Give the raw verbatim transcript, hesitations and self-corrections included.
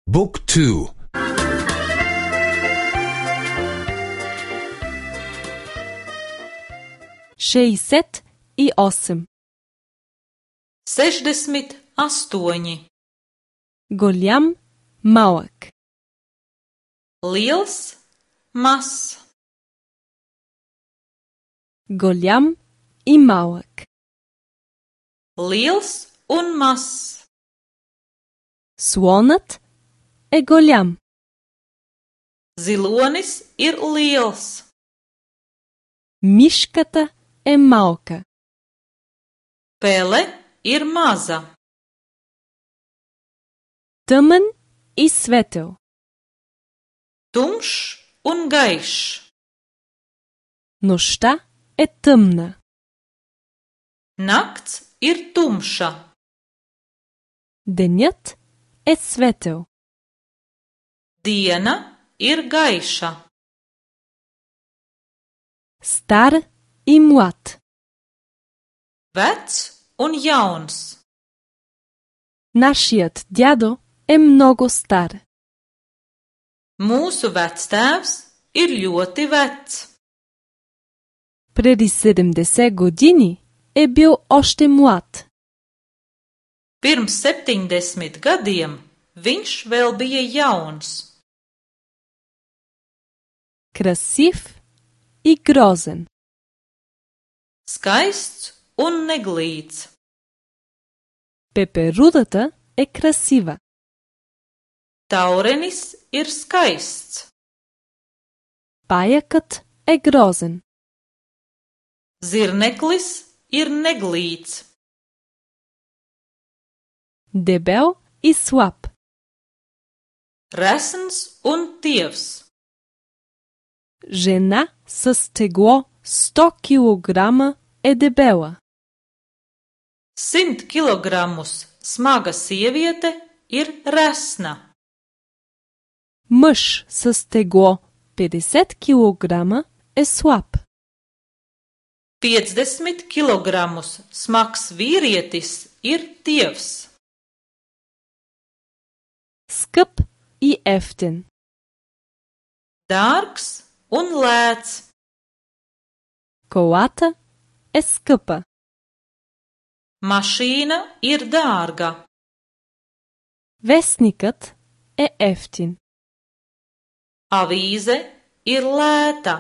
Book two. šezdeset osam. Sešdesmit astoņi. Голям, малък. Liels, mazs. Голям и малък. Liels un mazs. Слонът е голям. Zilonis ir liels. Мишката е малка. Pele ir maza. Тъмън и светъл. Tumšs un gaišs. Нощта е тъмна. Nakts ir tumša. Денят е светъл. Diena ir gaiša. Стар и млад. Vecs un jauns. Нашият дядо е много стар. Mūsu vectēvs ir ļoti vecs. Преди седемдесет години е бил още млад. Pirms septiņdesmit gadiem viņš vēl bija jauns. Красив и грозен. Skaists un neglīts. Пеперудата е красива. Taurenis ir skaists. Паякът е грозен. Zirneklis ir neglīts. Дебел и слаб. Resns un tievs. Жена с тегло сто килограма е дебела. Simt kilogramus smaga sieviete ir resna. Мъж с тегло петдесет килограма е слаб. piecdesmit kilogramus smags vīrietis ir tievs. Скъп и ефтин. Dārgs un lēts. Колата е скъпа. Mašīna ir dārga. Вестникът е ефтин. Avīze ir lēta.